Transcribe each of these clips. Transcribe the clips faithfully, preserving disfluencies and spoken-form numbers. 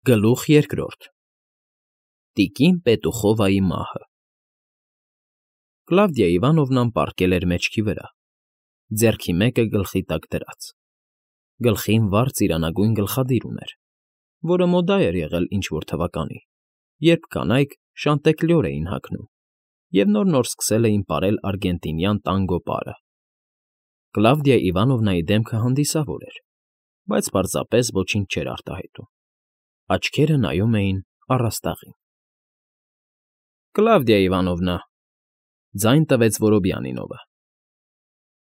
Գլուխ երկրորդ Տիկին Պետուխովայի մահը Կլավդիա Իվանովնան պառկել էր մեջքի վրա, ձեռքի մեկը գլխի տակ դրած, գլխին վառ ծիրանագույն գլխադիր ուներ, որը մոդա էր եղել ինչ֊որ թվականի, երբ կանայք շանտեկլյոր էին հագնում և նոր֊նոր սկսել էին պարել արգենտինյան տանգո պարը. Կլավդիա Իվանովնայի դեմքը հանդիսավոր էր, բայց պարզապես ոչինչ չէր արտահայտում, աչքերը նայում էին առաստաղին։ ֊ Կլավդիա Իվանովնա,֊ ձայն տվեց Որոբյանինովը։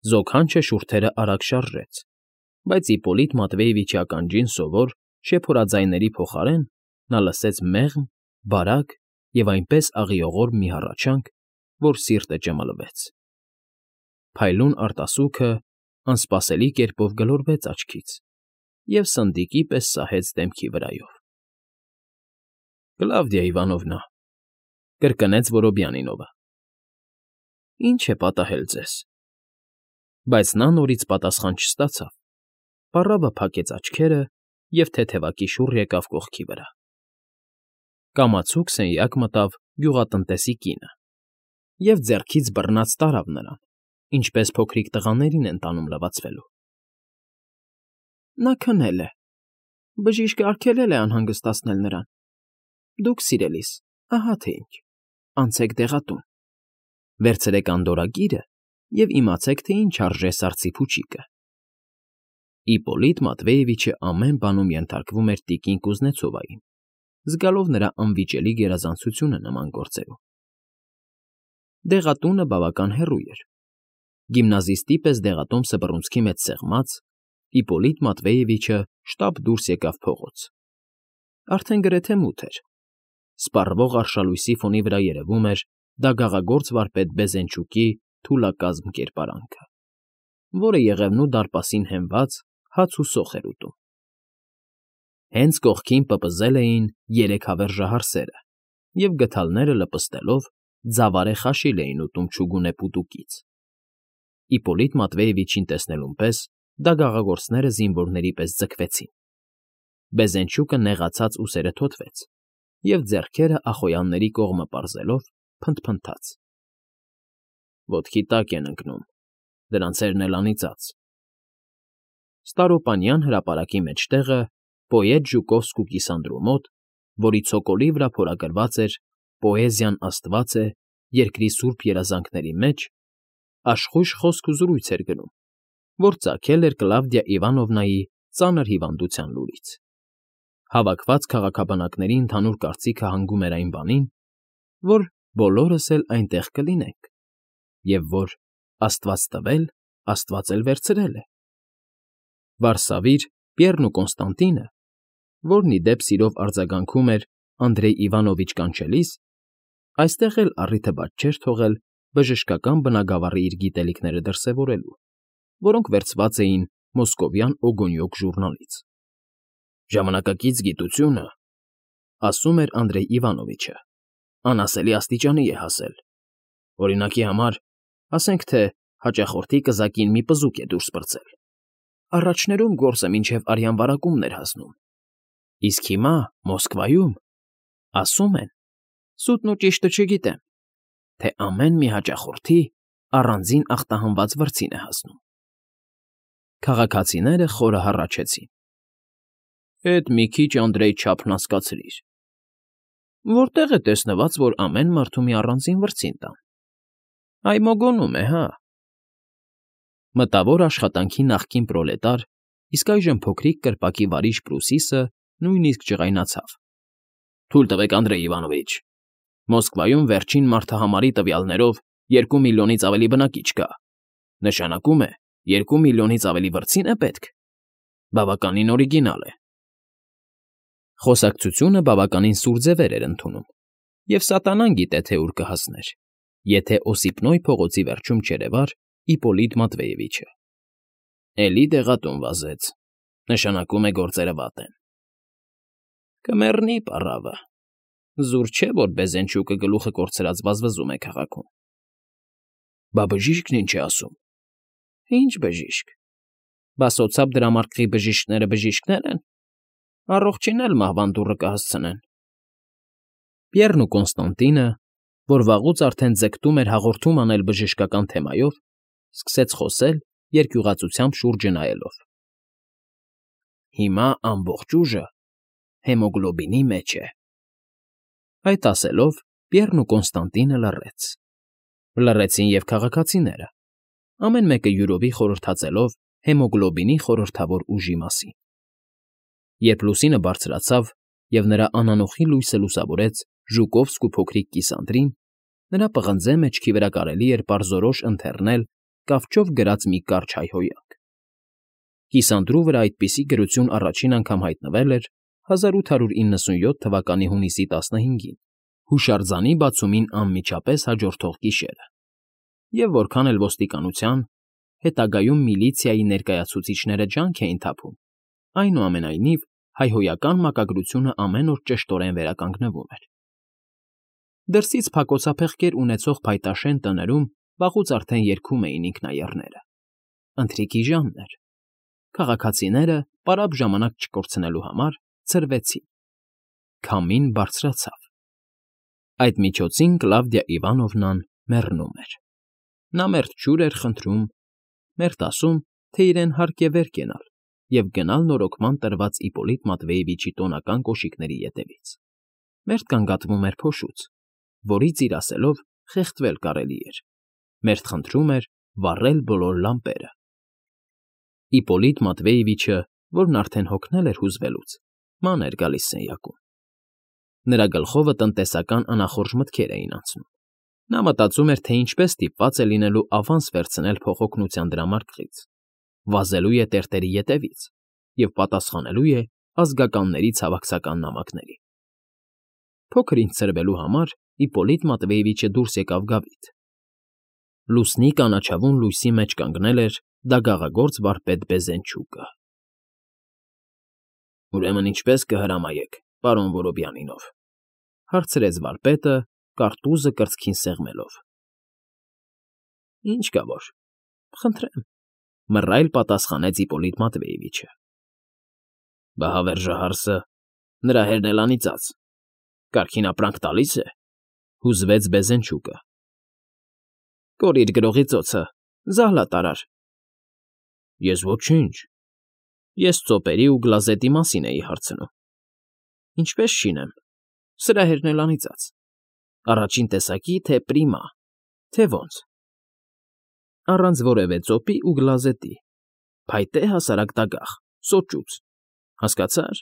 Զոքանչը շուրթերը արագ շարժեց, բայց Իպպոլիտ Մատվեևիչի ականջին սովոր շեփորաձայների փոխարեն նա լսեց մեղմ, բարակ և այնպես աղիողոր մի հառաչանք, որ սիրտը ճմլվեց։ Փայլուն արտասուքը անսպասելի կերպով գլորվեց աչքից և սնդիկի պես սահեց դեմքի վրայով։ ֊ Կլավդիա Իվանովնա,֊ կրկնեց Որոբյանինովը,֊ ի՞նչ է պատահել ձեզ։ Բայց նա նորից պատասխան չստացավ, պառավը փակեց աչքերը և թեթևակի շուռ եկավ կողքի վրա։ Կամացուկ սենյակ մտավ գյուղատնտեսի կինը և ձեռքից բռնած տարավ նրան, ինչպես փոքրիկ տղաներին են տանում լվացվելու։ ֊ Նա քնել է, բժիշկը արգելել է անհանգստացնել նրան։ Դուք, սիրելիս, ահա թե ինչ, անցեք դեղատուն, վերցրեք անդորրագիրը և իմացեք, թե ինչ արժե սարսի փուչիկը։ Իպպոլիտ Մատվեևիչը ամեն բանում ենթարկվում էր տիկին Կուզնեցովային, զգալով նրա անվիճելի գերազանցությունը նման գործերում։ Դեղատունը բավական հեռու էր։ Գիմնազիստի պես դեղատոմսը բռունցքի մեջ սեղմած, Իպպոլիտ Մատվեևիչը շտապ դուրս եկավ փողոց։ Արդեն գրեթե մութ էր։ Սպառվող արշալույսի ֆոնի վրա երևում էր դագաղագործ վարպետ Բեզենչուկի թուլակազմ կերպարանքը, որը Եղևնու դարպասին հենված հաց ու սոխ էր ուտում։ Հենց կողքին պպզել էին երեք հավերժահարսերը և գդալները լպստելով ձավարե խաշիլ էին ուտում չուգունե պուտուկից։ Իպպոլիտ Մատվեևիչին տեսնելուն պես դագաղագործները զինվորների պես ձգվեցին։ Բեզենչուկը նեղացած ուսերը թոթվեց և ձեռքերը ախոյանների կողմը պարզելով փնթփնթաց. Ոտքի տակ են ընկնում, դրանցերն էլ անիծած… Ստարոպանյան հրապարակի մեջտեղը, պոետ Ժուկովսկու կիսանդրու մոտ, որի ցոկոլի վրա փորագրված էր «Պոեզիան աստված է, երկրի սուրբ երազանքների մեջ», աշխույժ խոսք ու զրույց էր գնում, որ ծագել էր Կլավդիա Իվանովնայի ծանր հիվանդության լուրից։ Հավաքված քաղաքաբնակների ընդհանուր կարծիքը հանգում էր այն բանին, որ բոլորս էլ այնտեղ կլինենք, և որ աստված տվել, աստված էլ վերցրել է։ Վարսավիր Պիեռն ու Կոնստանտինը, որն ի դեպ սիրով արձագանքում էր Անդրեյ Իվանովիչ կանչելիս, այստեղ էլ առիթը բաց չէր թողել բժշկական բնագավառի իր գիտելիքները դրսևորելու, որոնք վերցված էին Մոսկովյան Օգոնյոկ ժուրնալից։ «Ժամանակակից գիտությունը,֊ ասում էր Անդրեյ Իվանովիչը,֊ անասելի աստիճանի է հասել։ Օրինակի համար, ասենք թե հաճախորդի կզակին մի պզուկ է դուրս պրծել. առաջներում գործը մինչև արյան վարակումն էր հասնում, իսկ հիմա Մոսկվայում ասում են, սուտն ու ճիշտը չգիտեմ, թե ամեն մի հաճախորդի առանձին ախտահանված վրձին է հասնում»։ Քաղաքացիները խորը հառաչեցին. «Էդ մի քիչ, Անդրեյ, չափն հասկացրիր։ Որտե՞ղ է տեսնված, որ ամեն մարդու մի առանձին վրձին տան։ Այմոգոնում է, հա՞»։ Մտավոր աշխատանքի նախկին պրոլետար, իսկ այժմ փոքրիկ կրպակի վարիժ Պրուսիսը նույնիսկ ջղայնացավ. «Թույլ տվեք, Անդրեյ Իվանովիչ, Մոսկվայում վերջին մարդահամարի տվյալներով երկու միլիոնից ավելի բնակիչ կա, նշանակում է, երկու միլիոնից ավելի վրձին է պետք։ Բավականին օրիգինալ է»։ Խոսակցությունը բավականին սուր ձևեր էր ընդունում, և սատանան գիտե, թե ուր կհասներ, եթե Օսիպնոյ փողոցի վերջում չերևար Իպպոլիտ Մատվեևիչը։ Էլի դեղատուն վազեց, նշանակում է գործերը վատ են։ Կմեռնի պառավը, զուր չէ, որ Բեզենչուկը գլուխը կորցրած վազվզում է քաղաքում։ Բա բժիշկն ինչ է ասում։ Ինչ բժիշկ։ Բա սոցապ դրամարկղի բժիշկները բժիշկներ են։ Առողջին էլ մահվան դուռը կհասցնեն։ Պիեռն ու Կոնստանտինը, որ վաղուց արդեն ձգտում էր հաղորդում անել բժշկական թեմայով, սկսեց խոսել, երկյուղածությամբ շուրջը նայելով. Հիմա ամբողջ ուժը հեմոգլոբինի մեջ է։ Այդ ասելով, Պիեռն ու Կոնստանտինը լռեց։ Լռեցին և քաղաքացիները, ամեն մեկը յուրովի խորհրդածելով հեմոգլոբինի խորհրդավոր ուժի մասին։ Երբ լուսինը բարձրացավ և նրա անանոխի լույսը լուսավորեց Ժուկովսկու փոքրիկ կիսանդրին, նրա պղնձե մեջքի վրա կարելի էր պարզորոշ ընթեռնել կավճով գրած մի կարճ հայհոյանք։ Կիսանդրու վրա այդպիսի գրություն առաջին անգամ հայտնվել էր հազար ութ հարյուր իննսունյոթ թվականի հունիսի տասնհինգին, հուշարձանի բացումին անմիջապես հաջորդող գիշերը, և որքան էլ ոստիկանության, հետագայում միլիցիայի ներկայացուցիչները ջանք էին թափում, այնուամենայնիվ հայհոյական մակագրությունը ամեն օր ճշտորեն վերականգնվում էր։ Դրսից փակոցափեղկեր ունեցող փայտաշեն տներում վաղուց արդեն երգում էին ինքնաեռները։ Ընթրիքի ժամն էր։ Քաղաքացիները, պարապ ժամանակ չկորցնելու համար, ցրվեցին։ Քամին բարձրացավ։ Այդ միջոցին Կլավդիա Իվանովնան մեռնում էր։ Նա մերթ ջուր էր խնդրում, մերթ ասում, թե իրեն հարկ է վեր կենալ և գնալ նորոգման տրված Իպոլիտ Մատվեևիչի տոնական կոշիկների ետևից։ Մերթ գանգատվում էր փոշուց, որից իր ասելով խեղդվել կարելի էր, մերթ խնդրում էր վառել բոլոր լամպերը։ Իպոլիտ Մատվեևիչը, որն արդեն հոգնել էր հուզվելուց, ման էր գալիս սենյակում։ Նրա գլխովը տնտեսական անախորժ մտքեր էին անցնում։ Նա մտածում էր, թե ինչպես ստիպված է լինելու ավանս վերցնել փոխօգնության դրամարկղից, վազելու է տերտերի ետևից և պատասխանելու է ազգականների ցավակցական նամակների։ Փոքր ինչ ցրվելու համար Իպոլիտ Մատվեևիչը դուրս եկավ գավիթ։ Լուսնի կանաչավուն լույսի մեջ կանգնել էր դագաղագործ վարպետ Բեզենչուկը։ ֊ Ուրեմն ինչպե՞ս կհրամայեք, պարոն Որոբյանինով,֊ հարցրեց վարպետը, կարտուզը կրծքին սեղմելով։ ֊ Ինչ կա որ, խնդրեմ,֊ մռայլ պատասխանեց Իպոլիտ Մատվեևիչը։ ֊ Բա հավերժահարսը, նրա հերն էլ անիծած, կարգին ապրանք տալի՞ս է,֊ հուզվեց Բեզենչուկը։ ֊ Կորիր գրողի ծոցը, զահլա տարար։ ֊ Ես ոչինչ, ես ծոպերի ու գլազետի մասին էի հարցնում։ ֊ Ինչպես շինեմ, սրա հերն էլ անիծած, առաջին տեսակի, թե պրիմա, թե ոնց։ ֊ Առանց որևէ ծոպի ու գլազետի, փայտե հասարակ դագաղ, սոճուց, հասկացա՞ր։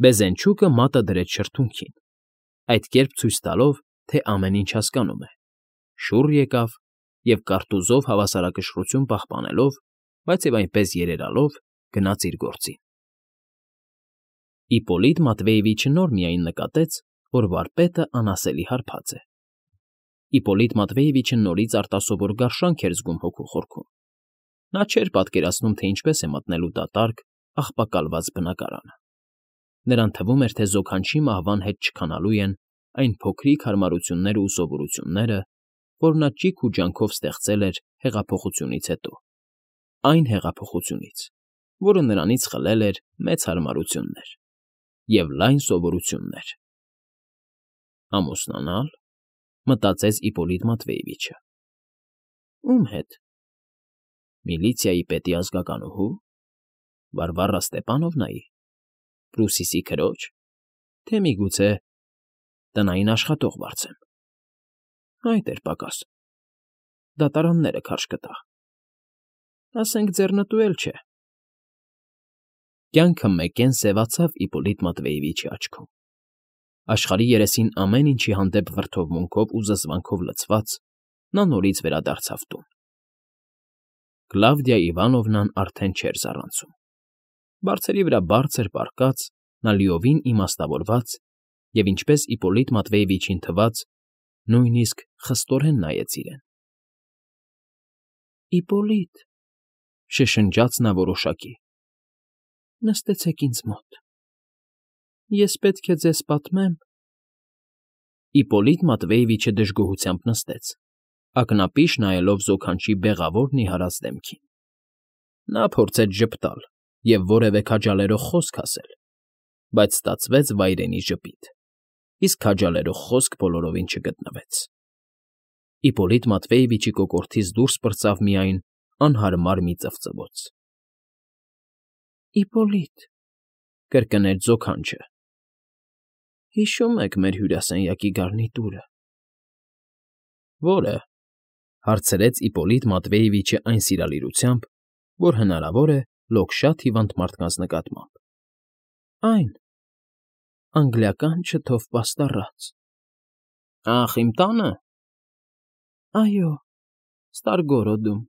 Բեզենչուկը մատը դրեց շրթունքին, այդ կերպ ցույց տալով, թե ամեն ինչ հասկանում է, շուռ եկավ և կարտուզով հավասարակշռություն պահպանելով, բայց և այնպես երերալով, գնաց իր գործին։ Իպոլիտ Մատվեևիչը նոր միայն նկատեց, որ վարպետը անասելի հարբած է։ Իպոլիտ Մատվեևիչը նորից արտասովոր գարշանք էր զգում հոգու խորքում։ Նա չէր պատկերացնում, թե ինչպես է մտնելու դատարկ, աղբակալված բնակարանը։ Նրան թվում էր, թե զոքանչի մահվան հետ չքանալու են այն փոքրիկ հարմարությունները ու սովորությունները, որ նա ճիգ ու ջանքով ստեղծել էր հեղափոխությունից հետո, այն հեղափոխությունից, որը նրանից խլել էր մեծ հարմարություններ և լայն սովորություններ։ Ամուսնանա՞լ,֊ մտածեց Իպոլիտ Մատվեևիչը։ Ում հետ։ Միլիցիայի պետի ազգականուհու, Վարվարա Ստեպանովնայի, Պրուսիսի քրոջ, թե միգուցե տնային աշխատող վարձեմ։ Այդ էր պակաս։ Դատարանները քարշ կտա։ Ասենք ձեռնտու էլ չէ։ Կյանքը մեկեն սևացավ Իպոլիտ Մատվեևիչի աչքում։ Աշխարհի երեսին ամեն ինչի հանդեպ վրդովմունքով ու զզվանքով լցված, նա նորից վերադարձավ տուն։ Կլավդիա Իվանովնան արդեն չէր զառանցում։ Բարձերի վրա բարձր պառկած, նա լիովին իմաստավորված և, ինչպես Իպոլիտ Մատվեևիչին թվաց, նույնիսկ խստորեն նայեց իրեն։ ֊ Իպոլիտ,֊ շշնջաց նա որոշակի,֊ նստեցեք ինձ մոտ, ես պետք է ձեզ պատմեմ… Իպոլիտ Մատվեևիչը դժգոհությամբ նստեց, ակնապիշ նայելով զոքանչի բեղավոր նիհարած դեմքին։ Նա փորձեց ժպտալ, և որևէ քաջալերող խոսք ասել, բայց ստացվեց վայրենի ժպիտ, իսկ քաջալերող խոսք բոլորովին չգտնվեց։ Իպոլիտ Մատվեևիչի կոկորդից դուրս պրծավ միայն անհարմար մի ծվծվոց։ ֊ Իպոլիտ,֊ կրկնեց ձոգանչը,֊ հիշո՞ւմ եք մեր հյուրասենյակի գարնիտուրը։ ֊ Ո՞րը,֊ հարցրեց Իպոլիտ Մատվեևիչը այն սիրալիրությամբ, որ հնարավոր է լոկ շատ հիվանդ մարդկանց նկատմամբ։ ֊ Այն, անգլիական չթով պաստառած։ ֊ Ախ, իմ տա՞նը։ ֊ Այո, Ստարգորոդում,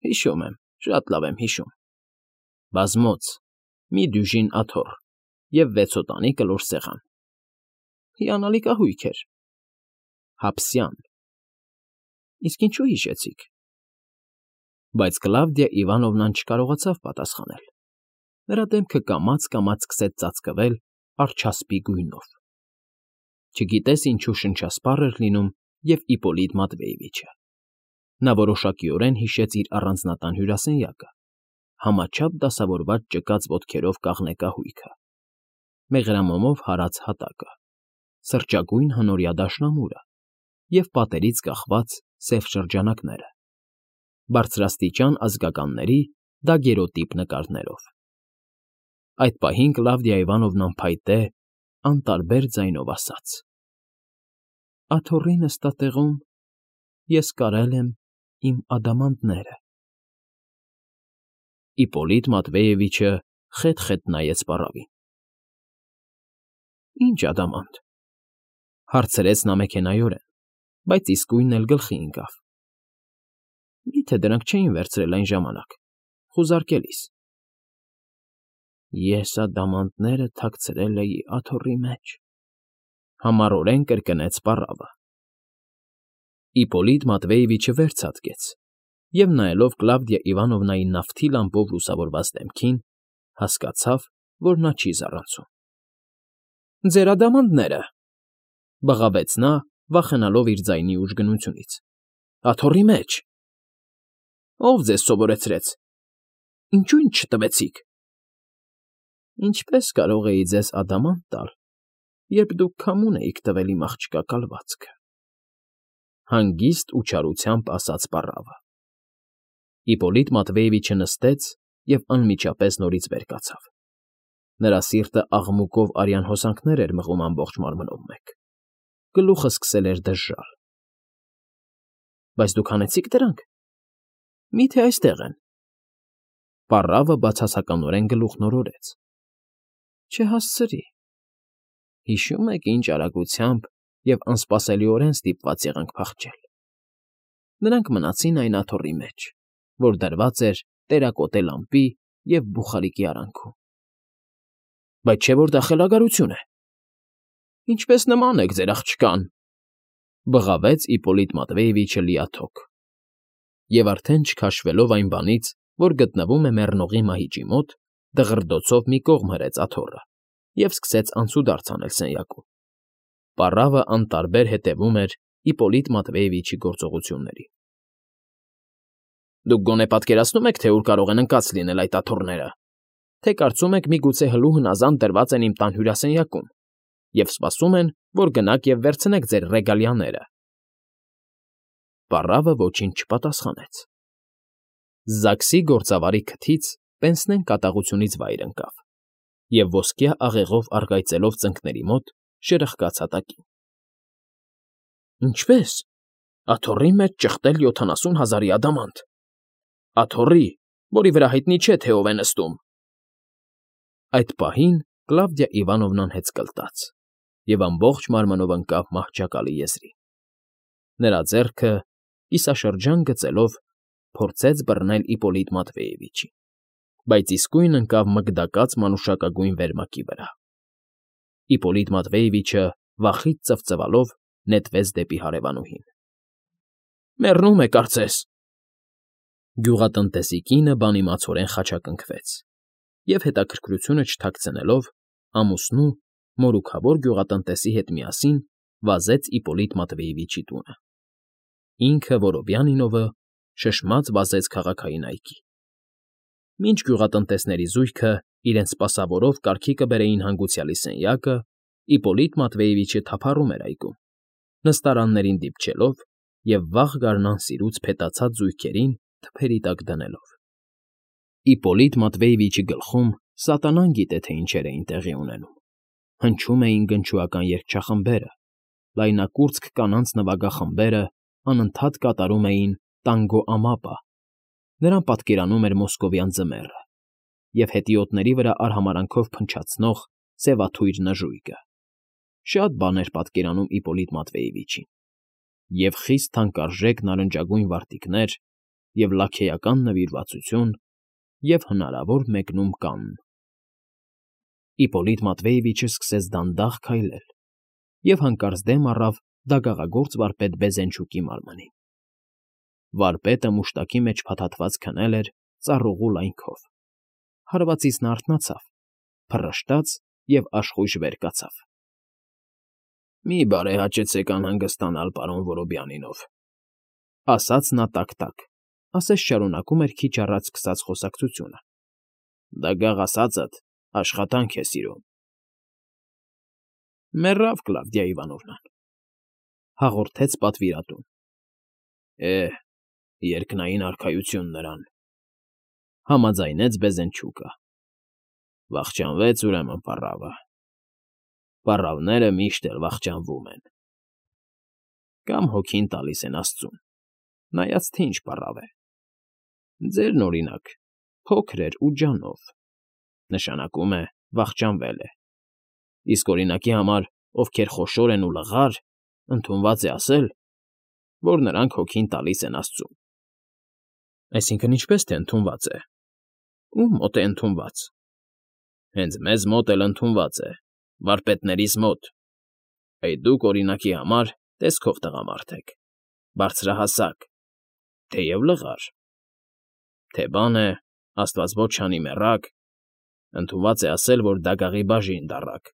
հիշում եմ, շատ լավ եմ հիշում։ Բազմոց, մի դյուժին աթոռ և վեցոտանի կլոր սեղան… Հիանալի կահույք էր… Հապսյան… Իսկ ինչու հիշեցիք… Բայց Կլավդիա Իվանովնան չկարողացավ պատասխանել. նրա դեմքը կամաց֊կամաց սկսեց ծածկվել արջասպի գույնով… Չգիտես ինչու շնչասպառ էր լինում և Իպոլիտ Մատվեևիչը… Նա որոշակիորեն հիշեց իր առանձնատան հյուրասենյակը, համաչափ դասավորված ճկած ոտքերով կաղնե կահույքը, մեղրամոմով հարած հատակը, սրճագույն հնորյա դաշնամուրը և պատերից կախված սև շրջանակները, բարձրաստիճան ազգականների դագերոտիպ նկարներով… Այդ պահին Կլավդիա Իվանովնան փայտե, անտարբեր ձայնով ասաց. ֊ Աթոռի նստատեղում ես կարել եմ իմ ադամանդները… Իպոլիտ Մատվեևիչը խետ֊խետ նայեց պառավին։ ֊ Ի՞նչ ադամանդ,֊ հարցրեց նա մեքենայորեն, բայց իսկույն էլ գլխի ընկավ։ ֊ Մի՞թե դրանք չէին վերցրել այն ժամանակ, խուզարկելիս։ ֊ Ես ադամանդները թաքցրել էի աթոռի մեջ,֊ համառորեն կրկնեց պառավը։ Իպոլիտ Մատվեևիչը վեր ցատկեց և, նայելով Կլավդիա Իվանովնայի նավթի լամպով լուսավորված դեմքին, հասկացավ, որ նա չի զառանցում։ ֊ Ձեր ադամանդները,֊ բղավեց նա, վախենալով իր ձայնի ուժգնությունից,֊ աթոռի մեջ… ֊ Ո՞վ ձեզ սովորեցրեց… Ինչո՞ւ ինձ չտվեցիք… ֊ Ինչպե՞ս կարող էի ձեզ ադամանդ տալ, երբ դուք քամուն էիք տվել իմ աղջկա կալվածքը,֊ հանգիստ ու չարությամբ ասաց պառավը։ Իպոլիտ Մատվեևիչը նստեց և անմիջապես նորից վեր կացավ… Նրա սիրտը աղմուկով արյան հոսանքներ էր մղում ամբողջ մարմնով մեկ, գլուխն սկսել էր դժժալ։ ֊ Բայց դուք հանեցի՞ք դրանք… Մի՞թե այստեղ են… Պառավը բացասականորեն գլուխն օրորեց։ ֊ Չհասցրի… Հիշո՞ւմ եք ինչ արագությամբ և անսպասելիորեն ստիպված եղանք փախչել… Նրանք մնացին այն աթոռի մեջ, որ դրված էր տերակոտե լամպի և բուխարիկի արանքում… ֊ Բայց չէ՞ որ դա խելագարություն է… Ինչպես նման եք ձեր աղջկան,֊ բղավեց Իպոլիտ Մատվեևիչը լիաթոք, և արդեն չքաշվելով այն բանից, որ գտնվում է մեռնողի մահիճի մոտ, դղրդոցով մի կողմ հրեց աթոռը և սկսեց անցուդարձ անել սենյակում… Պառավը անտարբեր հետևում էր Իպոլիտ Մատվեևիչի գործողություններին։ ֊ Դուք գոնե պատկերացնո՞ւմ եք, թե ուր կարող են ընկած լինել այդ աթոռները, թե կարծում եք միգուցե հլու հնազանդ դրված են իմ տան հյուրասենյակում և սպասում են, որ գնաք և վերցնեք ձեր ռեգալիաները… Պառավը ոչինչ չպատասխանեց։ Զաքսի գործավարի քթից պենսնեն կատաղությունից վայր ընկավ և ոսկյա աղեղով առկայծելով ծնկների մոտ շրխկաց հատակին։ ֊ Ինչպե՞ս… Աթոռի մեջ ճխտել յոթանասուն հազարի ադամանդ… Աթոռի, որի վրա հայտնի չէ, թե ով է նստում… Այդ պահին Կլավդիա Իվանովնան հեծկլտաց և ամբողջ մարմնով ընկավ մահճակալի եզրին։ Նրա ձեռքը, կիսաշրջան գծելով, փորձեց բռնել Իպոլիտ Մատվեևիչին, բայց իսկույն ընկավ մգդակած մանուշակագույն վերմակի վրա։ Իպոլիտ Մատվեևիչը, վախից ծվծվալով, նետվեց դեպի հարևանուհին։ ֊ Մեռնում է, կարծես… Գյուղատնտեսի կինը բանիմացորեն խաչակնքվեց և, հետաքրքրությունը չթաքցնելով, ամուսնու, մորուքավոր գյուղատնտեսի հետ միասին վազեց Իպոլիտ Մատվեևիչի տունը։ Ինքը, Որոբյանինովը, շշմած վազեց քաղաքային այգի։ Մինչ գյուղատնտեսների զույգը իրենց սպասավորով կարգի կբերեին հանգուցյալի սենյակը, Իպպոլիտ Մատվեևիչը թափառում էր այգում, նստարաններին դիպչելով և վաղ գարնան սիրուց փետացած զույգերին թփերի տակ դնելով։ Իպպոլիտ Մատվեևիչի գլխում սատանան գիտե թե ինչեր էին տեղի ունենում. հնչում էին գնչուական երգչախմբերը, լայնակուրծք կանանց նվագախմբերը անընդհատ կատարում էին «Տանգո Ամապա», նրան պատկերանում էր մոսկովյան ձմեռը և հետիոտների վրա արհամարհանքով փնչացնող սևաթույր նժույգը։ Շատ բան էր պատկերանում Իպպոլիտ Մատվեևիչին. և խիստ թանկարժեք նարնջագույն վարտիքներ, և լաքեյական նվիրվածություն, և հնարավոր մեկնում կանն։ Իպպոլիտ Մատվեևիչը սկսեց դանդաղ քայլել և հանկարծ դեմ առավ դագաղագործ վարպետ Բեզենչուկի մարմնին։ Վարպետը մուշտակի մեջ փաթաթված քնել էր ծառուղու լայնքով։ Հարվածից նա արթնացավ, փռշտաց և աշխույժ վեր կացավ։ ֊ Մի՛ բարեհաճեցեք անհանգստանալ պարոն Որոբյանինով,֊ ասաց նա տաք֊տաք, ասես շարունակում էր քիչ առաջ սկսած խոսակցությունը։֊ Դագաղ ասածդ աշխատանք է սիրում։ ֊ Մեռավ Կլավդիա Իվանովնան,֊ հաղորդեց պատվիրատուն։ ֊ Է՜, երկնային արքայություն նրան,֊ համաձայնեց Բեզենչուկը։ ֊ Վախճանվեց ուրեմն պառավը։ Պառավները միշտ էլ վախճանվում են։ Կամ հոգին տալիս են աստծուն, նայած թե ինչ պառավ է։ Ձերն, օրինակ, փոքր էր ու ջանով, նշանակում է վախճանվել է, իսկ օրինակի համար, ովքեր խոշոր են ու լղար, ընդունված է ասել, որ նրանք հոգին տալիս են աստծուն։ ֊ Այսինքն ինչպե՞ս թե ընդունված է, ո՞ւմ մոտ է ընդունված։ ֊ Հենց մեզ մոտ էլ ընդունված է, վարպետներիս մոտ։ Այ դուք, օրինակի համար, տեսքով տղամարդ եք, բարձրահասակ, թեև լղար, թե բան է, աստված ոչ չանի մեռաք, ընդունված է ասել, որ դագաղի բաժին դառաք։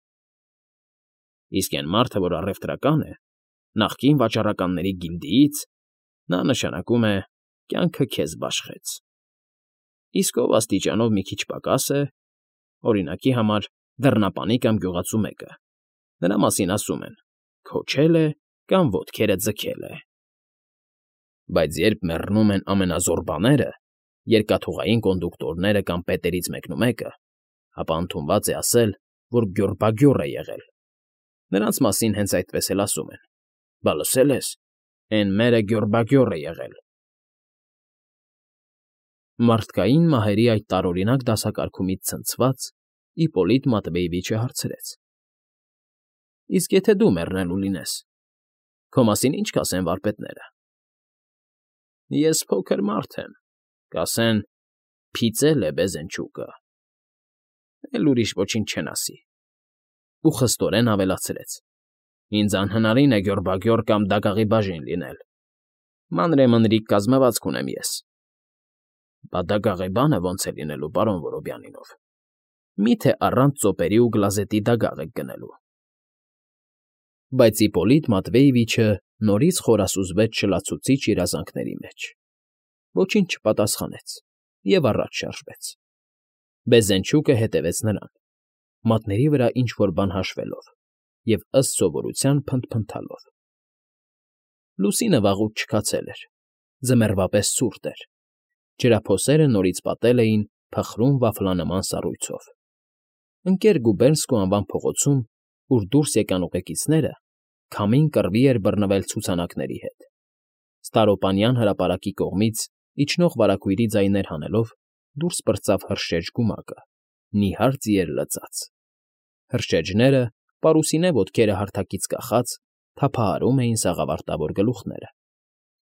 Իսկ էն մարդը, որ առևտրական է, նախկին վաճառականների գիլդիից, նա, նշանակում է, կյանքը քեզ բաշխեց։ Իսկ ով աստիճանով մի քիչ պակաս է, օրինակի համար, դռնապանի կամ գյուղացու մեկը, նրա մասին ասում են. քոչել է կամ ոտքերը ձգել է։ Բայց երբ մեռնում են ամենազոռբաները, երկաթուղային կոնդուկտորները կամ պետերից մեկնումեկը, ապա ընդունված է ասել, որ գյոռբագյոռ է եղել։ Նրանց մասին հենց այդպես էլ ասում են. բա լսել ես, էն մերը գյոռբագյոռ է եղել։ Մարդկային մահերի այդ տարօրինակ դասակարգումից ցնցված՝ Իպպոլիտ Մատվեևիչը հարցրեց. ֊ Իսկ եթե դու մեռնելու լինես, քո մասին ի՞նչ կասեն վարպետները։ ֊ Ես փոքր մարդ եմ, կասեն՝ փիծել է Բեզենչուկը, էլ ուրիշ ոչինչ չեն ասի։ Ու խստորեն ավելացրեց. ինձ անհնարին է գյոռբագյոռ կամ դագաղի բաժին լինել, մանրեմնրիկ կազմվածք ունեմ ես։ ֊ Բա դագաղի բանը ո՞նց է լինելու, պարոն Որոբյանինով, մի՞թե առանց ծոպերի ու գլազետի դագաղ եք գնելու։ Բայց Իպպոլիտ Մատվեևիչը նորից խորասուզվեց շլացուցիչ երազանքների մեջ, ոչինչ չպատասխանեց և առաջ շարժվեց։ Բեզենչուկը հետևեց նրան, մատների վրա ինչ֊որ բան հաշվելով և, ըստ սովորության, փնթփնթալով։ Լուսինը վաղուց չքացել էր, ձմեռվա պես ցուրտ էր, ջրափոսերը նորից պատել էին փխրուն վաֆլանման սառույցով։ Ընկեր Գուբերնսկու անվան փողոցում, ուր դուրս եկան ուղեկիցները, քամին կռվի էր բռնվել ցուցանակների հետ։ Ստարոպանյան հրապարակի կողմից իջնող վարագույրի ձայներ հանելով դուրս պրծավ հրշեջ գումակը, նիհար ձիեր լծած։ Հրշեջները, պարուսինե ոտքերը հարթակից կախած, թափահարում էին սաղավարտավոր գլուխները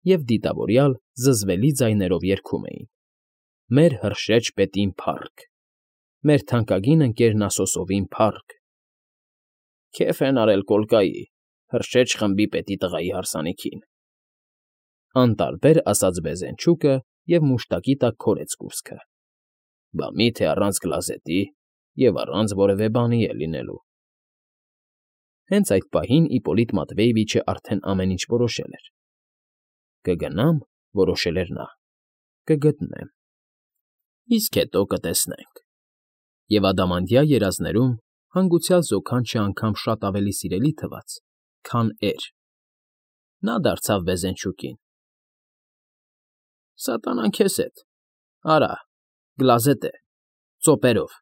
և դիտավորյալ զզվելի ձայներով երգում էին. «Մեր հրշեջ պետին փառք, մեր թանկագին ընկեր Նասոսովին փառք»։ Քեֆ են արել Կոլկայի, հրշեջ խմբի պետի տղայի հարսանիքին,֊ անտարբեր ասաց Բեզենչուկը և մուշտակի տակ քորեց կուրծքը։ ֊ Բա մի՞թե առանց գլազետի և առանց որևէ բանի է լինելու։ Հենց այդ պահին Իպպոլիտ Մատվեևիչը արդեն ամեն ինչ որոշել էր։ «Կգնամ,֊ որոշել էր նա,֊ կգտնեմ։ Իսկ հետո կտեսնենք։ Եվ ադամանդյա երազներում հանգուցյալ զոքանչն անգամ շատ ավելի սիրելի թվաց, քան էր. նա դարձավ վեզենչուկին։ ֊ Սատանան քեզ հետ, արա, գլազե տե, ծոպերով։